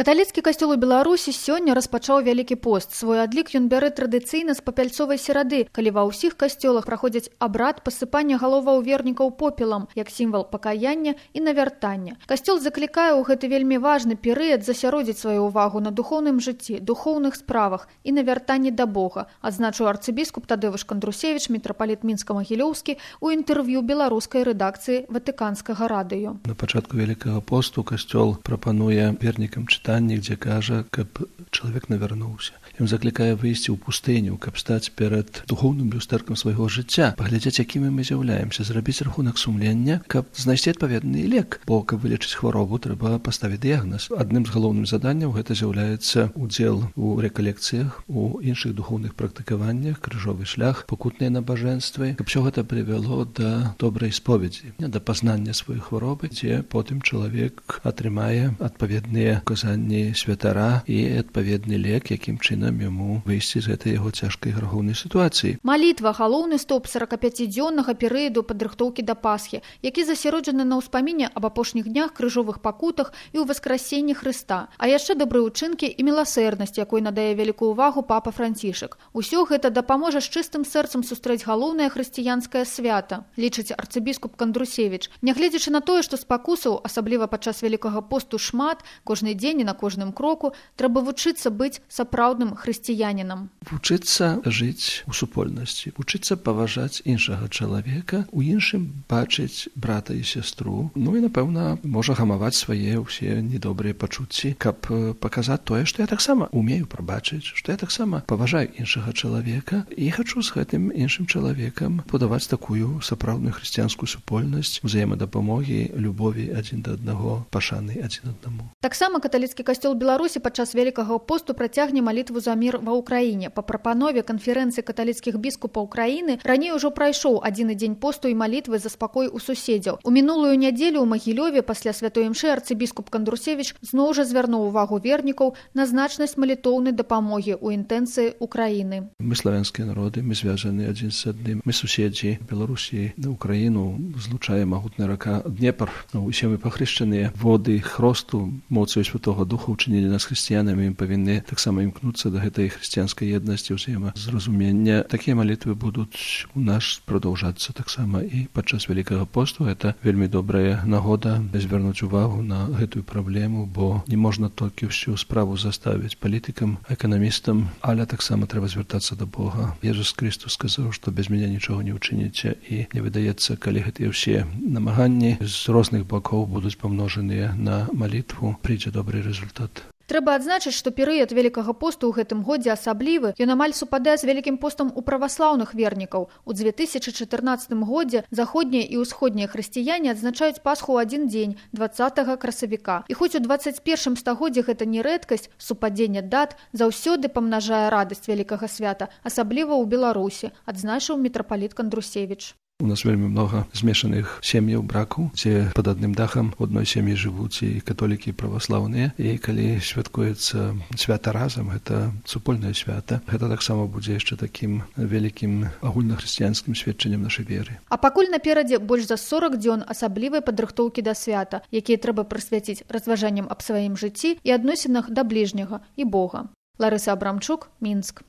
Каталіцкі касцёл у Беларусі сёння распачаў вялікі пост. Свой адлік ён бярэ традыцыйна з папяльцовай серады, калі ва ўсіх касцёлах праходзіць абрад пасыпання галоваў вернікаў попелам, як сімвал пакаяння і навяртання. Касцёл заклікае ў гэты вельмі важны перыяд засяродзіць сваю ўвагу на духоўным жыцці, духоўных справах і навяртанні да Бога, адзначыў арцыбіскуп Тадеуш Кандрусевіч, мітрапаліт Мінска-Магілёўскі у інтэрв'ю беларускай рэдакцыі Ватыканскага радыё. На пачатку Вялікага посту касцёл прапануе вернікам чытанні, дзе кажа, каб чалавек навярнуўся. Ён заклікае выйсці ў пустыню, каб стаць перад духоўным люстэркам свайго жыцця, паглядзець, якімі мы з'яўляемся, зрабіць рахунак сумлення, каб знайсці адпаведны лек, бо каб вылечыць хваробу, трэба паставіць дыягназ. Адным з галоўных заданняў гэта з'яўляецца удзел у рэкалекцыях, у іншых духоўных практыкаваннях, крыжовы шлях, пакутныя набажэнствы, каб усё гэта прывяло да добрай споведзі, да пазнання сваёй хваробы, дзе потым чалавек атрымае адпаведныя указанні святара і адпаведны лек, якім чынам яму выйсці з гэтай яго цяжкай грахоўнай сітуацыі. Малітва – галоўны стоп 45-дзённага перыяду падрыхтоўкі да Пасхі, які засяроджаны на ўспаміне аб апошніх днях, крыжовых пакутах і ў васкрасенні Хрыста, а яшчэ добрыя ўчынкі і міласэрнасць, якой надае вялікую ўвагу папа Францішак. Усё гэта дапаможа з чыстым сэрцам сустрэць галоўнае хрысціянскае свята, лічыць арцыбіскуп Кандрусевіч. Нягледзячы на тое, што спакусаў, асабліва падчас Вялікага посту, шмат, кожны дзень і на кожным кроку, трэба вучыцца быць сапраўдным хрысціянінам. Вучыцца жыць у супольнасці, вучыцца паважаць іншага чалавека, у іншым бачыць брата і сястру, ну і, напэўна, можа гамаваць свае ўсе недобрыя пачуцці, каб паказаць тое, што я таксама умею прабачыць, што я таксама паважаю іншага чалавека і хачу з гэтым іншым чалавекам будаваць такую сапраўдную хрысціянскую супольнасць, узаемадапамогі, любові адзін да аднаго, пашаны адзін аднаму. Таксама каталіцкі касцёл Беларусі падчас Вялікага посту працягне малітву за мір ва ўкраіне. Па прапанове канферэнцыі каталіцкіх біскупаў краіны раней ужо прайшоў адзіны дзень посту і малітвы за спакой у суседзяў. У мінулую нядзелю ў Магілёве пасля святой імшы арцыбіскуп Кандрусевіч зноў жа звярнуў увагу вернікаў на значнасць малітоўнай дапамогі ў інтэнцыі Украіны. Мы славянскія народы, мы звязаны адзін з адным. Мы суседзі. Беларусі на Украіну злучае магутная рака Днепр. Усе мы пахрышчаныя. Воды хросту, моцаю Святога Духа ўчынілі нас хрысціянамі, мы павінны таксама імкнуцца да гэтай хрысціянскай еднасці, ўзаемазразумення. Такія малітвы будуць у нас прадаўжацца таксама і падчас Вялікага посту. Гэта вельмі добрая нагода звярнуць увагу на гэтую праблему, бо не можна толькі ўсю справу заставіць палітыкам, эканамістам, але таксама трэба звяртацца да Бога. Jesús Христос сказаў, што без мяне нічога не ўчыніце, і мне выдаецца, калі гэтыя ўсе намаганні з розных бакоў будуць памножаныя на малітву, прыйдзе добры результат. Трэба адзначыць, што перыяд Вялікага посту ў гэтым годзе асаблівы, ён амаль супадае з Вялікім постам у праваслаўных вернікаў. У 2014 годзе заходнія і ўсходнія хрысціяне адзначаюць Пасху ў адзін дзень, 20 красавіка. І хоць у 21 стагоддзі гэта не рэдкасць, супадзенне дат заўсёды памнажае радасць вялікага свята, асабліва ў Беларусі, адзначыў мітрапаліт Кандрусевіч. У нас вельмі много змешаных сем'яў, бракаў, дзе пад адным дахам у адной сям'і жывуць і католікі, і праваслаўныя. І калі святкуецца свята разам, гэта супольнае свята. Гэта таксама будзе яшчэ такім вялікім агульнахрысціянскім сведчаннем нашай веры. А пакуль наперадзе больш за 40 дзён асаблівай падрыхтоўкі да свята, якія трэба прысвяціць разважанням аб сваім жыцці і адносінах да бліжняга і Бога. Ларыса Абрамчук, Мінск.